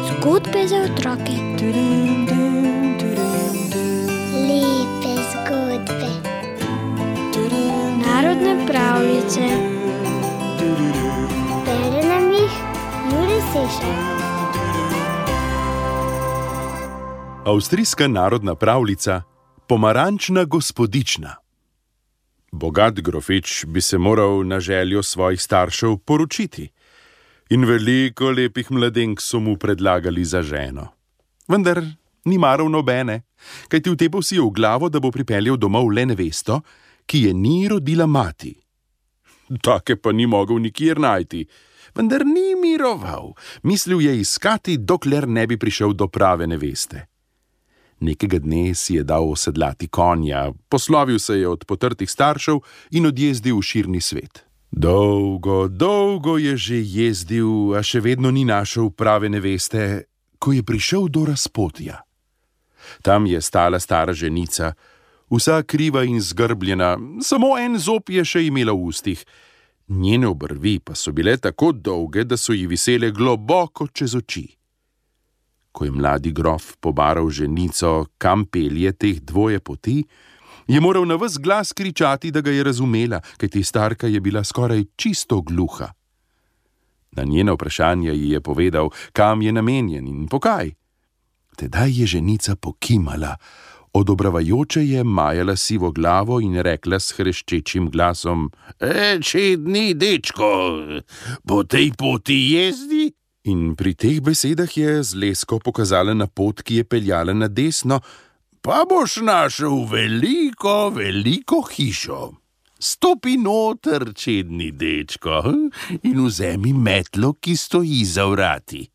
Zgodbe za otroke. Lepe zgodbe. Narodne pravljice. Bere nam jih Jure Sešar. Avstrijska narodna pravljica Pomarančna gospodična. Bogat grofič bi se moral na željo svojih staršev poročiti in veliko lepih mladenk so mu predlagali za ženo. Vendar ni maral nobene, kajti vtepel si je v glavo, da bo pripeljal domov le nevesto, ki je ni rodila mati. Take pa ni mogel nikjer najti, vendar ni miroval. Mislil je iskati, dokler ne bi prišel do prave neveste. Nekega dne si je dal osedlati konja, poslovil se je od potrtih staršev in odjezdil v širni svet. Dolgo je že jezdil, a še vedno ni našel prave neveste, ko je prišel do razpotja. Tam je stala stara ženica, vsa kriva in zgrbljena, samo en zob je še imela v ustih. Njene obrvi pa so bile tako dolge, da so ji visele globoko čez oči. Ko je mladi grof pobaral ženico, kam pelje teh dvoje poti, je moral na ves glas kričati, da ga je razumela, kajti starka je bila skoraj čisto gluha. Na njeno vprašanje ji je povedal, kam je namenjen in pokaj. Tedaj je ženica pokimala, odobravajoče je majala sivo glavo in rekla s hreščečim glasom: Čedni dečko, po tej poti jezdi? In pri teh besedah je z lesko pokazala na pot, ki je peljala na desno: Pa boš našel veliko hišo. Stopi noter, čedni dečko, in vzemi metlo, ki stoji za vrati.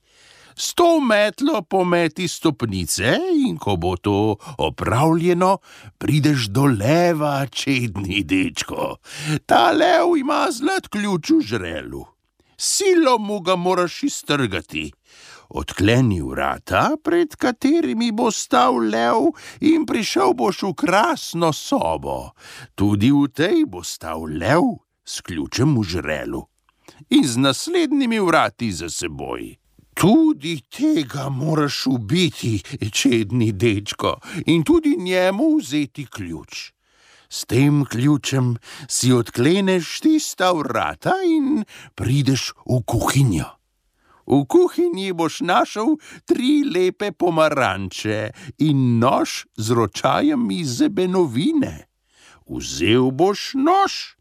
S to metlo pometi stopnice in ko bo to opravljeno, prideš do leva, čedni dečko. Ta lev ima zlat ključ v žrelu. Silo mu ga moraš iztrgati. Odkleni vrata, pred katerimi bo stal lev, in prišel boš v krasno sobo. Tudi v tej bo stal lev s ključem v žrelu in z naslednjimi vrati za seboj. Tudi tega moraš ubiti, čedni dečko, in tudi njemu vzeti ključ. S tem ključem si odkleneš tista vrata in prideš v kuhinjo. V kuhinji boš našel 3 lepe pomaranče in nož z ročajem iz zebenovine. Vzel boš nož,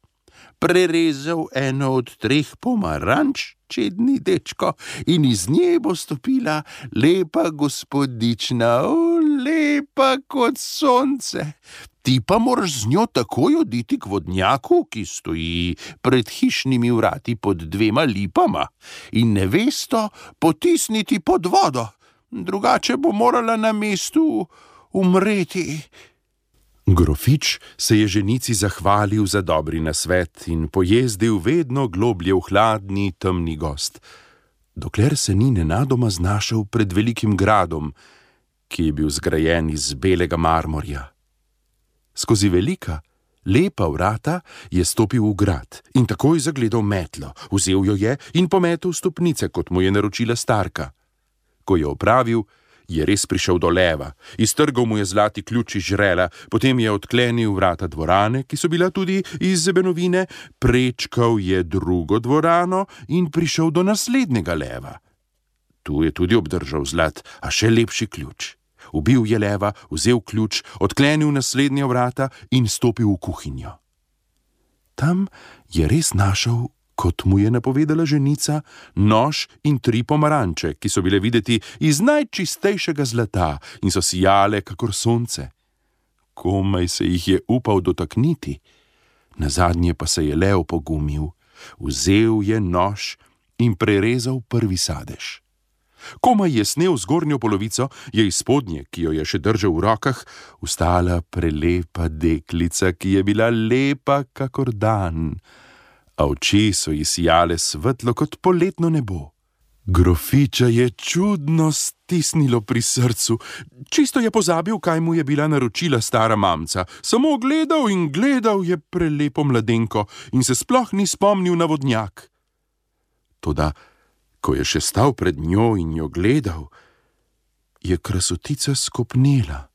prerezal eno od 3 pomaranč, čedni dečko, in iz nje bo stopila lepa gospodična, lepa kot sonce. Ti pa moraš z njo takoj oditi k vodnjaku, ki stoji pred hišnimi vrati pod 2 lipama, in nevesto potisniti pod vodo, drugače bo morala na mestu umreti. Grofič se je ženici zahvalil za dobri nasvet in pojezdil vedno globlje v hladni, temni gozd, dokler se ni nenadoma znašel pred velikim gradom, ki je bil zgrajen iz belega marmorja. Skozi velika, lepa vrata je stopil v grad in takoj zagledal metlo, vzel jo je in pometel stopnice, kot mu je naročila starka. Ko je opravil, je res prišel do leva, iztrgal mu je zlati ključ iz žrela, potem je odklenil vrata dvorane, ki so bila tudi iz zebenovine, prečkal je drugo dvorano in prišel do naslednjega leva. Tu je tudi obdržal zlat, a še lepši ključ. Ubil je leva, vzel ključ, odklenil naslednja vrata in stopil v kuhinjo. Tam je res našel, kot mu je napovedala ženica, nož in 3 pomaranče, ki so bile videti iz najčistejšega zlata in so sijale kakor sonce. Komaj se jih je upal dotakniti. Nazadnje pa se je lev pogumil, vzel je nož in prerezal prvi sadež. Komaj je snel zgornjo polovico, je iz spodnje, ki jo je še držal v rokah, vstala prelepa deklica, ki je bila lepa kakor dan, a oči so ji sijale svetlo kot poletno nebo. Grofiča je čudno stisnilo pri srcu, čisto je pozabil, kaj mu je bila naročila stara mamca, samo gledal in gledal je prelepo mladenko in se sploh ni spomnil na vodnjak. Toda, ko je še stal pred njo in jo gledal, je krasotica skopnela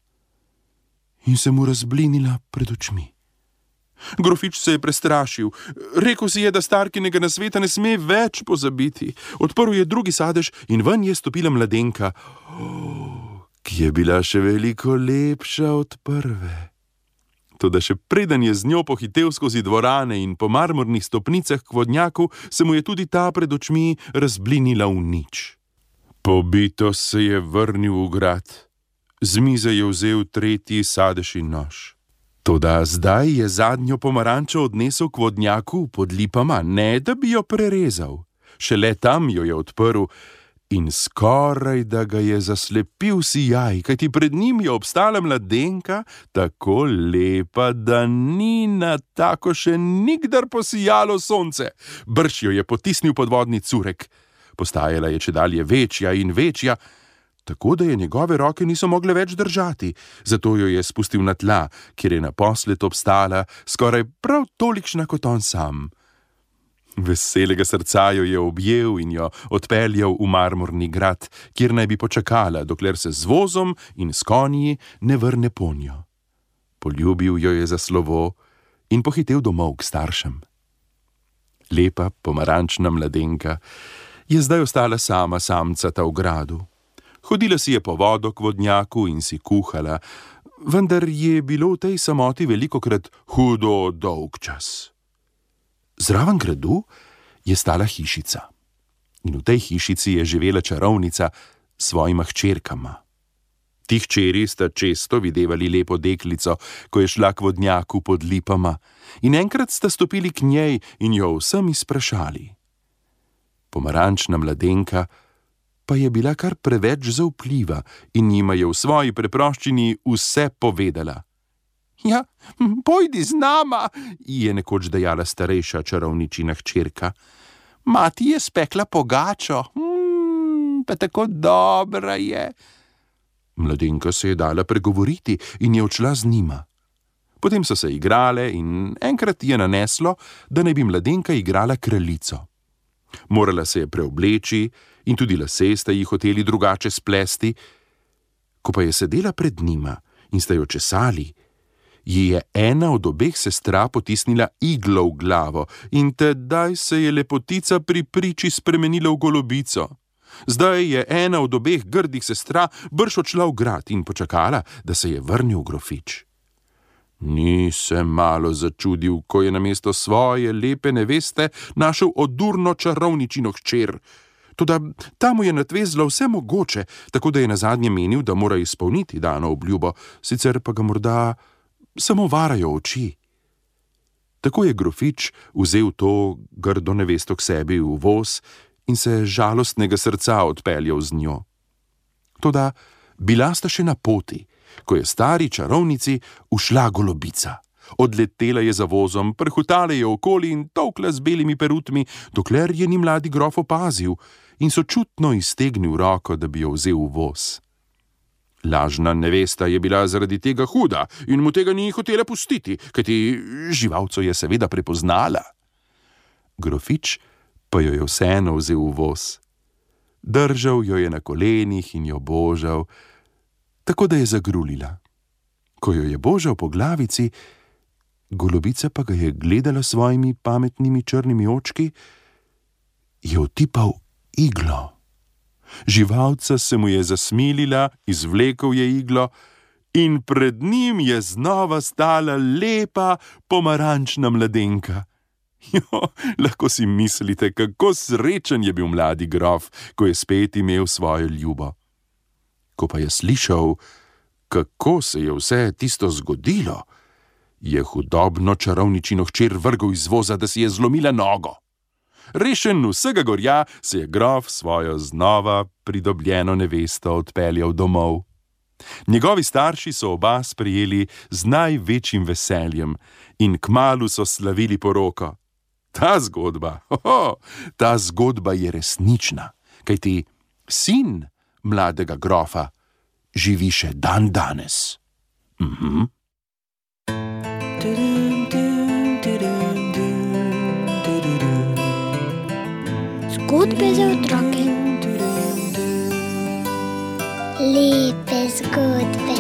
in se mu razblinila pred očmi. Grofič se je prestrašil. Rekel si je, da starkinega nasveta ne sme več pozabiti. Odprl je drugi sadež in ven je stopila mladenka, ki je bila še veliko lepša od prve. Toda še preden je z njo pohitel skozi dvorane in po marmornih stopnicah k vodnjaku, se mu je tudi ta pred očmi razblinila v nič. Pobito se je vrnil v grad. Z mize je vzel tretji sadež in nož. Toda zdaj je zadnjo pomarančo odnesel k vodnjaku pod lipama, ne da bi jo prerezal. Šele tam jo je odprl in skoraj da ga je zaslepil sijaj, kajti pred njim je obstala mladenka, tako lepa, da ni na tako še nikdar posijalo sonce. Brž jo je potisnil pod vodni curek. Postajala je čedalje večja in večja, tako da je njegove roke niso mogle več držati, zato jo je spustil na tla, kjer je naposled obstala, skoraj prav tolikšna kot on sam. Veselega srca jo je objel in jo odpeljal v marmorni grad, kjer naj bi počakala, dokler se z vozom in s konji ne vrne ponjo. Poljubil jo je za slovo in pohitel domov k staršem. Lepa pomarančna mladenka je zdaj ostala sama samcata v gradu. Hodila si je po vodo k vodnjaku in si kuhala, vendar je bilo v tej samoti velikokrat hudo dolg čas. Zraven gradu je stala hišica in v tej hišici je živela čarovnica s svojima hčerkama. Ti hčeri sta često videvali lepo deklico, ko je šla k vodnjaku pod lipama, in enkrat sta stopili k njej in jo vsem izprašali. Pomarančna mladenka pa je bila kar preveč zaupljiva in njima je v svoji preproščini vse povedala. Ja, pojdi z nama, ji je nekoč dejala starejša čarovničina hčerka. Mati je spekla pogačo, pa tako dobra je. Mladenka se je dala pregovoriti in je odšla z njima. Potem so se igrale in enkrat je naneslo, da naj bi mladenka igrala kraljico. Morala se je preobleči in tudi lase sta ji hoteli drugače splesti. Ko pa je sedela pred njima in sta jo česali, ji je ena od obeh sestra potisnila iglo v glavo in tedaj se je lepotica pri priči spremenila v golobico. Zdaj je ena od obeh grdih sestra brž odšla v grad in počakala, da se je vrnil grofič. Ni se malo začudil, ko je namesto svoje lepe neveste našel odurno čarovničino hčer. Toda ta mu je natvezla vse mogoče, tako da je nazadnje menil, da mora izpolniti dano obljubo, sicer pa ga morda samo varajo oči. Tako je grofič vzel to grdo nevesto k sebi v voz in se žalostnega srca odpeljal z njo. Toda bila sta še na poti, ko je stari čarovnici ušla golobica. Odletela je za vozom, prhutala je okoli in tolkla z belimi perutmi, dokler je ni mladi grof opazil in sočutno iztegnil roko, da bi jo vzel v voz. Lažna nevesta je bila zaradi tega huda in mu tega ni hotela pustiti, kajti živalco je seveda prepoznala. Grofič pa jo je vseeno vzel v voz. Držal jo je na kolenih in jo božal, tako da je zagrulila. Ko jo je božal po glavici, golobica pa ga je gledala svojimi pametnimi črnimi očki, je otipal iglo. Živalca se mu je zasmilila, izvlekel je iglo in pred njim je znova stala lepa pomarančna mladenka. Jo, lahko si mislite, kako srečen je bil mladi grof, ko je spet imel svojo ljubo. Ko pa je slišal, kako se je vse tisto zgodilo, je hudobno čarovničino hčer vrgel iz voza, da si je zlomila nogo. Rešen vsega gorja se je grof svojo znova pridobljeno nevesto odpeljal domov. Njegovi starši so oba sprejeli z največjim veseljem in kmalu so slavili poroko. Ta zgodba je resnična, kajti sin mladega grofa živi še dan danes. Zgodbe za otroke. Lepe zgodbe.